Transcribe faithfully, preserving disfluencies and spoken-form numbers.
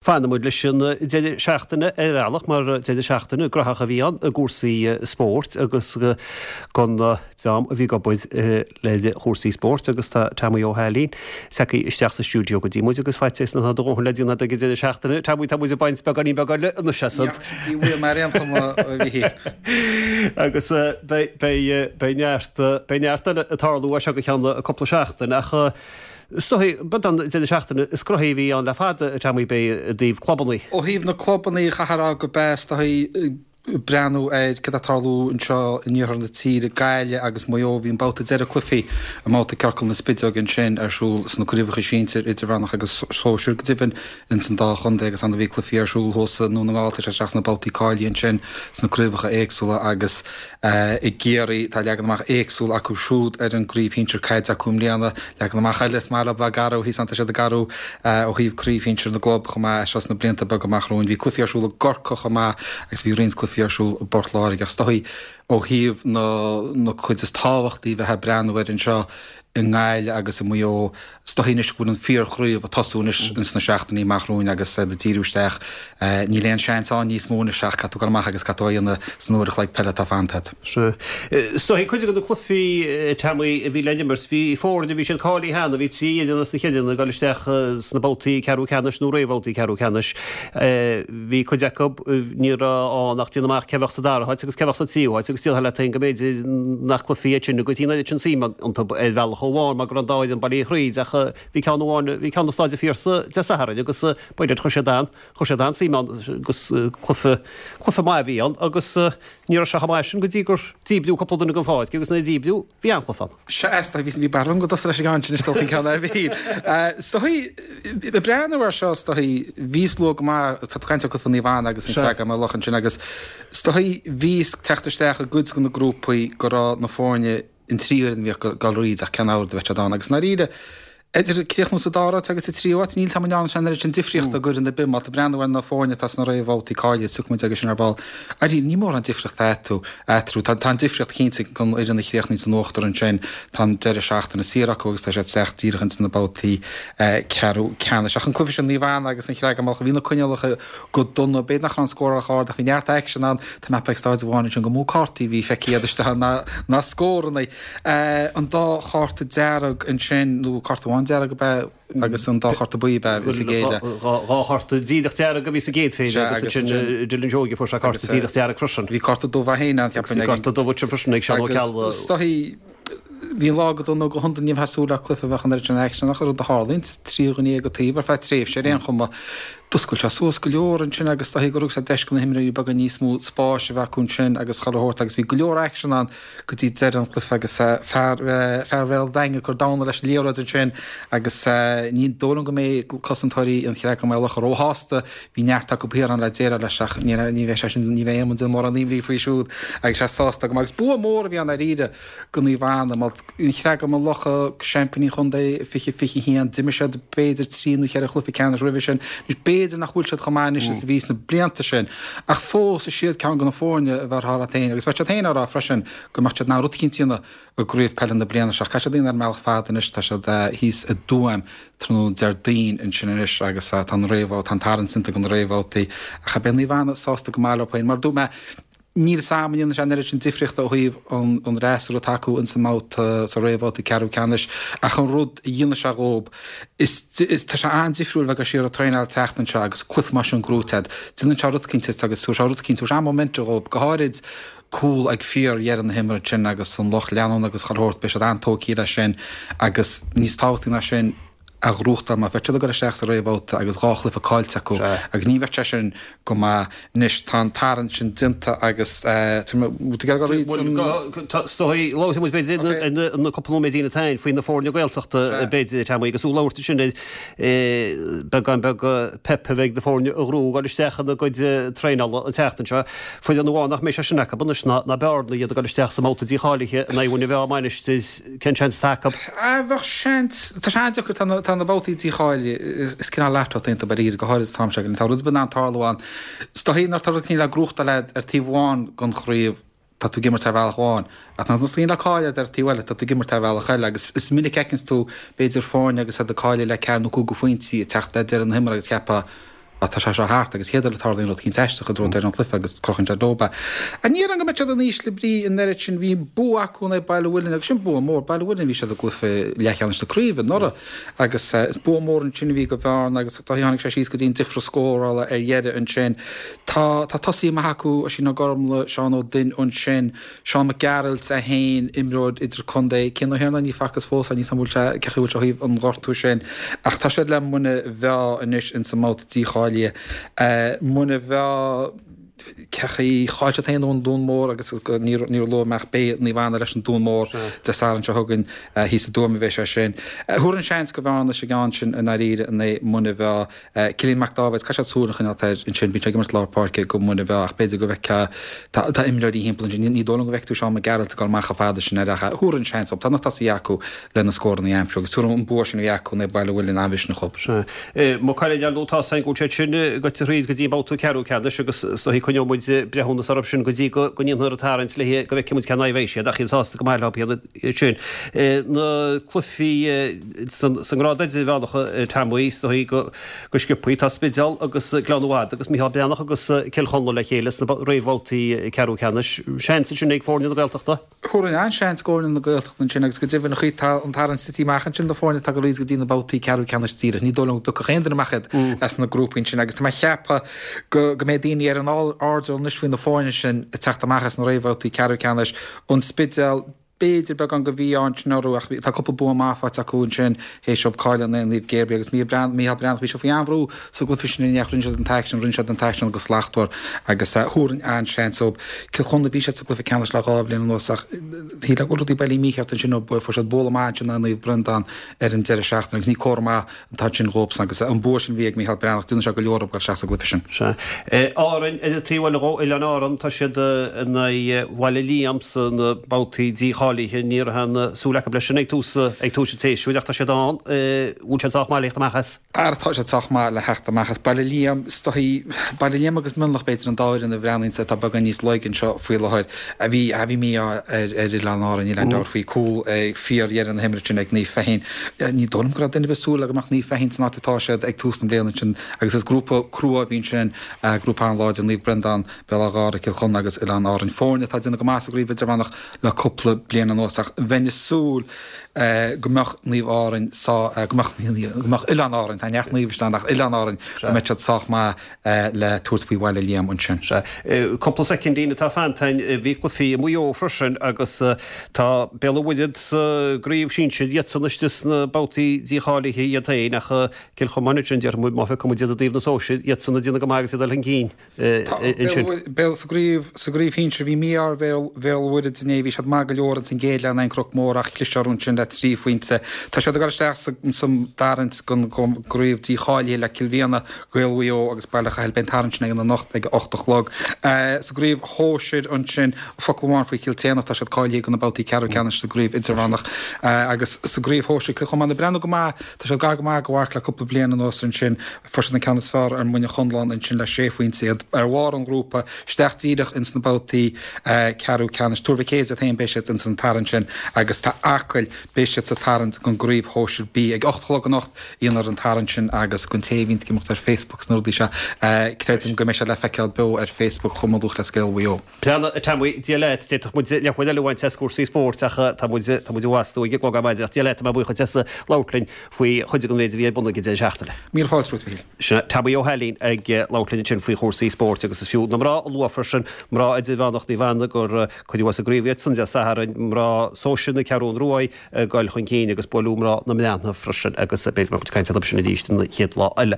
Fanfaidh muid leis an deireadh seachtaine ar bhealach mar deireadh seachtaine graitheach a bhí ann i gcúrsaí spóirt agus don dream a bhí ag obair le chúrsaí spóirt agus tá Tommy Ó hAilín tagtha isteach sa stiúideo go dtí muid agus faitíos nach do dhóthain le déanamh ag an deireadh seachtaine. Tommy tá muid ag baint beagáinín beag eile anois as an. Bhí mar aon chuma a Mhichíl. Agus beidh neart beidh neart eile ag tarlú as seo go ceann cúpla seachtain ach Is dóigh, b'é an deireadh seachtaine is gnóthaí a bhí ann le fada, a Tommy, b'é i dtaobh clubannaí. Ó thaobh na clubannaí, chaithfeá a rá go b'ea, is dóigh, breathnú ar cad atá ag tarlú anseo in iarthar na tíre, Gaillimh agus Maigh Eo, bhí an babhta deireadh cluichí i mbabhta Ciorcal na Spideoige ansin ar siúl sna craobhacha sinsir, idirmheánach agus sóisir go deimhin ins an dá chontae agus ann bhí cluichí ar siúl thuas i nDún na nGall, tá sé isteach sna babhtaí cáilithe ansin sna craobhacha éagsúla agus I gCiarraí, tá leagan amach éagsúil acu siúd ar an gcraobh shinsir caide acu i mbliana. Leagan amach eile, is maith leo bheith ag athrú thíos ann, tá siad ag athrú ó thaobh craobh shinsir na gclub chomh maith seo sna blianta beaga amach romhainn. Bhí cluichí ar siúl i gCorcaigh chomh maith agus bhí roinnt cluichí ar siúl i bPort Láirge. Ach is dóigh ó thaobh na cuid is tábhachtaí bheith ag breathnú air anseo i nGaillimh agus i Maigh Eo, is dóigh anois go bhfuil an fíorchraobh ag tosú anois ins na seachtainí amach romhainn agus iad ag díriú isteach. Níl aon seans ann níos mó anois ach caithfidh tú dul amach agus caithfidh tú a dhéanamh san uair a chloig peile atá fanta agat. Sea. Is dóigh cuid de na cluichí, Tommy, a bhí le n-imirt, bhí foirne, bhí siad cáilithe cheana, bhí trí fhoireann as na ceithre ag dul isteach sna babhtaí ceathrú ceannais nó réamhbhabhtaí ceathrú ceannais. Bhí cuid acu, ní raibh ann ach déanamh amach cé bheadh sa dara háit agus cé bheadh sa tríú háit agus déarfá leat féin go mb'fhéidir nach cluichí iad sin go dtí an oiread sin suim iontu ar bhealach amháin mar go raibh an dá fhoireann bailithe thríd ach bhí ceann amháin, bhí ceann i Staid an Phiarsaigh Dé Sathairn agus b'fhéidir chuir siad an, chuir siad an-suim ann agus cluiche, cluiche maith a bhí ann agus ní raibh sé chomh maith sin go dtí gur díbríodh cúpla duine den pháirc agus nuair a díbríodh bhí an-chluiche ann. Sea, is dóigh, bhí barúil agam go dtosófá leis an gceann sin is dul an ceann eile a Mhichíl. Is dóigh, ag breathnú air seo, is dóigh, bhíos luath go maith, tá tú ag caint ar chluiche Naomh Anna agus an Creagán Maigh Locha ansin agus is dóigh bhíos ag teacht isteach i gcuid de na grúpaí go raibh na foirne, an trí fhoireann a bhíodh ag dul thríd ach ceann amháin a bheadh siad ann agus i ndáiríre idir críochnú sa dara háit agus sa tríú háit, níl 's agam an ndearna sé an oiread sin difríochta go fhoireann ar bith. Má tá breathnú ar na foirne atá sna réamhbhabhtaí cáilithe, tiocfaidh muid aige sin ar ball. Dáiríre, ní mórán difríochta eatarthu. eatarthu. Tá tá an difríocht cinnte don fhoireann a chríochnaíonn san uachtar ansin, tá an deireadh seachtaine saor acu agus tá siad isteach díreach ins na babhtaí ceathrú ceannais. Ach an cluiche sin, Naomh Anna agus an Chreagán Maigh Locha, bhí na coinníollacha go dona, b'fhéidir nach raibh an scóráil chomh hard ach bhí neart aicsean ann. Tá mé ag staid amháin ansin gur mó cártaí a bhí feicthe agat istigh ann ná scóranna. An dá chárta dearg ansin, nó cárta amháin dearg ab ea agus an dá chárta buí ab ea a bhí sa gcéad. Dhá chárta díreach dearg a bhí sa gcéad phéire agus ansin Dylan Seoige fuair sé cárta díreach dearg freisin. Bhí cárta dubh é féin ann cheapfainn. Bhí cárta dubh ansin freisin ag Seán Ó Ceallaigh. Agus is dóigh Bhí an lá go dona go hiondúil ní bheifeá ag súil le cluiche a bheadh an oiread sin aicsean ach rud a tharlaíonn, trí dhuine dhéag an taobh ar feadh tréimhse ar aon chuma. D'oscail sé suas go leor ansin agus is dóigh gur thug sé deis do na himreoirí beaga níos mó spáis a bheith acu ansin agus chuile shórt agus bhí go leor aicsean ann go dtí deireadh an chluiche agus fear fear Bhéal an Daingin ag cur damhna leis an liathróid ansin agus ní dóigh liom go mbeidh cosantóirí an Chreagáin Maigh Locha róshásta. Bhí neart acu thiar ann le déileáil leis ach ní bheidh sé sin ní bheidh Éamonn ag déanamh mórán imní faoi siúd agus sé sásta go maith agus bua mór a bhí ann dáiríre. Do Naomh Anna, an Chreagán Maigh Locha, seaimpíní an chontae fiche fiche a haon, d'imir siad b'fhéidir trí nó cheithre chluiche ceannais roimhe sin. Anois b'fhéidir nach bhfuil siad chomh maith anois is a bhí sna blianta sin, ach fós is iad ceann de na foirne a bheadh leat féin agus bheadh siad féin á rá freisin go mbeadh siad in ann rud eicínt a dhéanamh i gcraobh peile na bliana seo. Caithfidh siad a dhéanamh ar an mbealach fada anois, tá siad thíos i dTuaim tráthnóna Déardaoin ansin anois agus tá an réamh, tá an tarraingt déanta do na réamhbhabhtaí ach beidh Naomh Anna sásta go maith leo féin. Mar a dúirt mé, Níl 'fhios a'm an ndéanann sé an oiread sin difríochta ó thaobh an fhreasúra atá acu ins an mbabhta, sa réamhbhabhta ceathrú ceannais, ach an rud a dhéanfaidh sé dhób, is, tá sé an-difriúil bheith ag dul siar ag traenáil an tseachtain seo agus cluiche mar sin gnóite a'd. Déanann sé rud eicínt duit agus tabharfaidh sé rud eicínt, tabharfaidh sé an-momentum dhób, go háirid cúl ag fíor-dheireadh na himeartha ansin agus an lucht leanúna agus chuile shórt, beidh siad an-tógtha leis sin agus níos tábhachtaí ná sin, a ghnóthachtáil mar bheadh siad ag dul isteach sa réamhbhabhta agus dhá chluiche caillte acu agus ní bheadh sé sin go maith. Anois tá an tarraingt sin déanta agus tá mé ag iarraidh an. Is dóigh, labharfaidh muid b'fhéidir ar na cúpla nóiméidín atá againn faoi na foirne Gaeltachta b'fhéidir, Tommy, agus tú ag labhairt ansin ar beagán beag pep a bheidh na foirne a ghnóthú ag dul isteach ina gcuid traenála an tseachtain seo. Foireann amháin nach mbeidh sé sin acu anois ná Bearna, iad ag dul isteach sa mbabhta dícháilithe in aghaidh Mhuine Mheá Mainistir. Cén seans atá acu? Bheadh seans. Tá sé an-deacair, tá na, tá na babhtaí dícháilithe, is cineál lotto atá iontu dáiríre, go háirid an t-am seo, tá rud ar bith in ann tarlú ann. Is dóigh nuair atá rud eicínt le gnóthachtáil a'd ar taobh amháin den chraobh, tá tú ag imirt ar bhealach amháin, ach nuair atá rud eicínt le cailleadh a'd ar taobh eile, tá tú ag imirt ar bhealach eile agus is minic a fheiceanns tú, b'fhéidir, foirne agus iad ag cailleadh le ceathair nó cúig de phointí ag teacht le deireadh na himeartha agus cheapfá, Tá sé seo thart agus chéad uair a tarlaíonn rud eicínt aisteach i dtreo deireadh an chluiche agus crochann sé dóibh é. Ní déarfainn go mbeidh siad in ísle brí an oiread sin, bhí bua acu in aghaidh Baile Mhuilinn agus sin bua mór, Baile Mhuilinn bhí siad i gcluiche leathcheannais na craoibhe anuraidh agus is bua mór ansin a bhí go Bhearna agus tháinig sé síos go dtí an difrear scórála ar dheireadh ansin. Tá tá tosaí maith acu, Oisín Ó Gormlaith, Seán Ó Duinn ansin, Seán Mac Gearailt é féin, imreoir idirchontae, Cian Ó hIarnáin ní facthas fós é, níl 's a'm an bhfuil sé, cé chaoi a bhfuil sé ó thaobh an ghortú sin ach tá siad le Muine Mheá anois ins an mbabhta dícháilithe. Muine Mheá, cé chaoi, chaill siad féin ón Dún Mór agus níor luaigh mé ach beidh Naomh Anna leis an Dún Mór Dé Sathairn seo chugainn thíos i dTuaim a bheidh sé sin. Thabharfainn seans go Bhearna sa gceann sin i ndáiríre in aghaidh Muine Mheá. Cillian Mac Dáibhéid, caithfidh siad súil a choinneáilt air ansin, bíonn sé ag imirt lár páirce go Muine Mheá ach b'fhéidir go bhfeicfeá, tá tá imreoirí thimpeall ansin, ní dóigh liom go bhfeicfidh tú Seán Mac Gearailt ag dul amach chomh fada sin air ach thabharfainn seans dóibh, tá na tosaithe acu le na scóranna a aimsiú agus tuairim an bua sin a bhí acu in aghaidh Baile Mhuilinn an-mhisneach dhóibh. Sea. Maigh Cuilinn ar ndóigh tá 's againn go bhfuil siad sin gaibhte thríd go dtí an babhta ceathrú ceannais agus is dóigh coinneoidh muid breithiúnas orthu sin go dtí go ndéanfar an tarraingt le go bhfeicfidh muid cén aghaidh a bheidh siad ach iad sásta go maith leo iad sin. Na cluichí sa ngrád idirmheánach Tomaí is dóigh go Go sciobthaí, tá Spidéal agus Gleann Fhada agus Micheál Breathnach agus Cill Chonla le chéile sna réamhbhabhtaí ceathrú ceannais. Seans ansin ag foirne na Gaeltachta? Thabharfainn an-seans go fhoirne na Gaeltachta ansin agus go deimhin an chaoi tá an tarraingt tite amach ansin do foirne atá ag dul go dtí na babhtaí ceathrú ceannais díreach. Ní dóigh liom go dtiocfadh aon duine amach iad as na grúpaí ansin agus tá mé ag ceapadh go go mbeidh daoine ar an airdeall anois faoi na foirne sin ag teacht amach as na réamhbhabhtaí ceathrú ceannais. An Spidéal, B'fhéidir beagán de mhí-ádh ansin orthu ach tá cúpla bua maith faighte acu ansin théis dóibh cailleadh in aghaidh Naomh Gabriel agus Micheál Breathnach, bhí sé faoi an-bhrú sa gcluiche sin inné ach rinne siad an t-aicsean, rinne siad an t-aicsean go slachtmhar agus thabharfainn an-seans dóibh. Cill Chonla, bhí siad sa gcluiche ceannais le dhá bhliain anuas ach shílfeá go bhfuil rudaí bailithe mícheart ansin ó fuair siad bualadh maith ansin in aghaidh Naomh Breandán ar an deireadh seachtaine agus ní comhartha maith atá ansin dhóibhsan agus an bua sin a bhí ag Micheál Breathnach, déanann sé go leor dóibh dul isteach sa gcluiche sin. Sea. Árainn, ar an taobh eile dhó, Oileáin Árann, tá siad in aghaidh Bhaile Liam sna babhtaí dícháilithe. Ní raibh aon súil acu leis sin ag tús ag tús an tséasúir ach tá siad ann. Bhfuil siad sách maith le theacht amach as? Ara tá siad sách maith le theacht amach as. Baile Liam, is dóichí, Baile Liam agus Mionlach b'fhéidir an dá fhoireann a bhreathnaíonn atá beagán níos laige anseo faoi láthair. Bhí, bhí mí-ádh ar ar Oileáin Árann, níl aon dabht faoi, cúl ag fíor-dheireadh na himeartha sin ag Naomh Feichín. Ní dóigh liom go raibh duine ar bith ag súil le go mbeadh Naomh Feichín san áit atá siad ag tús na bliana ansin agus is grúpa crua a bhí ansin, grúpa an-láidir, Naomh Breandán, Béal Átha Ghártha, Cill Chonla agus Oileáin Árann. Foirne atá ag déanamh go maith sa gcraobh idirmheánach le cúpla bliain anuas ach bheinn ag súil go mbeadh Naomh Árainn sá, go mbeadh, go mbeadh Oileáin Árainn, tá neart Naomh ann ach Oileáin Árainn, go mbeadh siad sách maith le tabhairt faoi Bhaile Liam ansin. Sea. Cúpla soicindín atá fanta againn. Bhí cluichí i Maigh Eo freisin agus tá Béal an Mhuirthead sa gcraobh shinsir, iadsan istigh sna babhtaí dícháilithe iad féin ach Cill Chomáin ansin, déarfaidh muid, má phiocfaidh muid iad i dtaobh na sóisir, iadsan ag déanamh go maith agus iad ag dul chun cinn ansin. Béal sa gcraobh, sa gcraobh shinsir, bhí mí-ádh ar Bhéal, Bhéal an Mhuirthead inné, bhí siad maith go leor ins an gcéad leath in aghaidh an Cnoc Mór ach chlis orthu ansin le trí phointe. Tá siad ag dul isteach sa, sa dtarraingt don gcraobh dícháilithe le Cill Mhiana, Gaeil Mhaigh Eo agus Baile Chathail. Beidh an tarraingt sin againn anocht ag a ocht a chlog. Sa gcraobh shóisir ansin, focal amháin faoi Chill tSéadhna, tá siad cáilithe do na babhtaí ceathrú ceannais sa gcraobh idirmheánach. Agus sa gcraobh shóisir, Cill Chomáin ag breathnú go maith, tá siad gar go maith do mharc le cúpla bliain anuas ansin. Fuair siad an ceann is fearr ar Mhuine Chonlán ansin le sé phointe, iad ar bharr an ghrúpa, isteach díreach ins na babhtaí ceathrú ceannais. Tuar Mhic Éadaigh iad féin, beidh siad ins an tarraingt sin agus tá Acaill, beidh siad sa tarraingt don gcraobh shóisir B ag ocht a chlog anocht. Dhéanfar an tarraingt sin agus don té a bhíonns ag imeacht ar Facebook sna rudaí seo, creidim go mbeidh sé le feiceáil beo ar Facebook Chumann Lúthchleas Gael Mhaigh Eo. Breathnaigh, a Tommy, Dia leat, d'fhéadfadh muid leathuair eile a bhaint as cúrsaí spóirt ach tá muid, tá muid i bhfastú ag an gclog ar maidin ach Dia leat, tá mé buíoch duit as labhairt linn faoi chuid den mhéid a bhí ar bun ag an deireadh seachtaine. Míle fáilte romhat, a Mhíchíl. Sin Tommy Ó hAilín ag labhairt linn ansin faoi chúrsaí spóirt agus is fiú na mná a lua freisin, mná idirmheánach Naomh Anna gur cuireadh as an gcraobh iadsan Dé Sathairn, mná sóisir na Ceathrún Ruaidh, ag dul chun cinn agus buaileadh mná na mBreathnach freisin agus b'fhéidir go mbeidh muid ag caint orthu sin arís an chéad lá eile.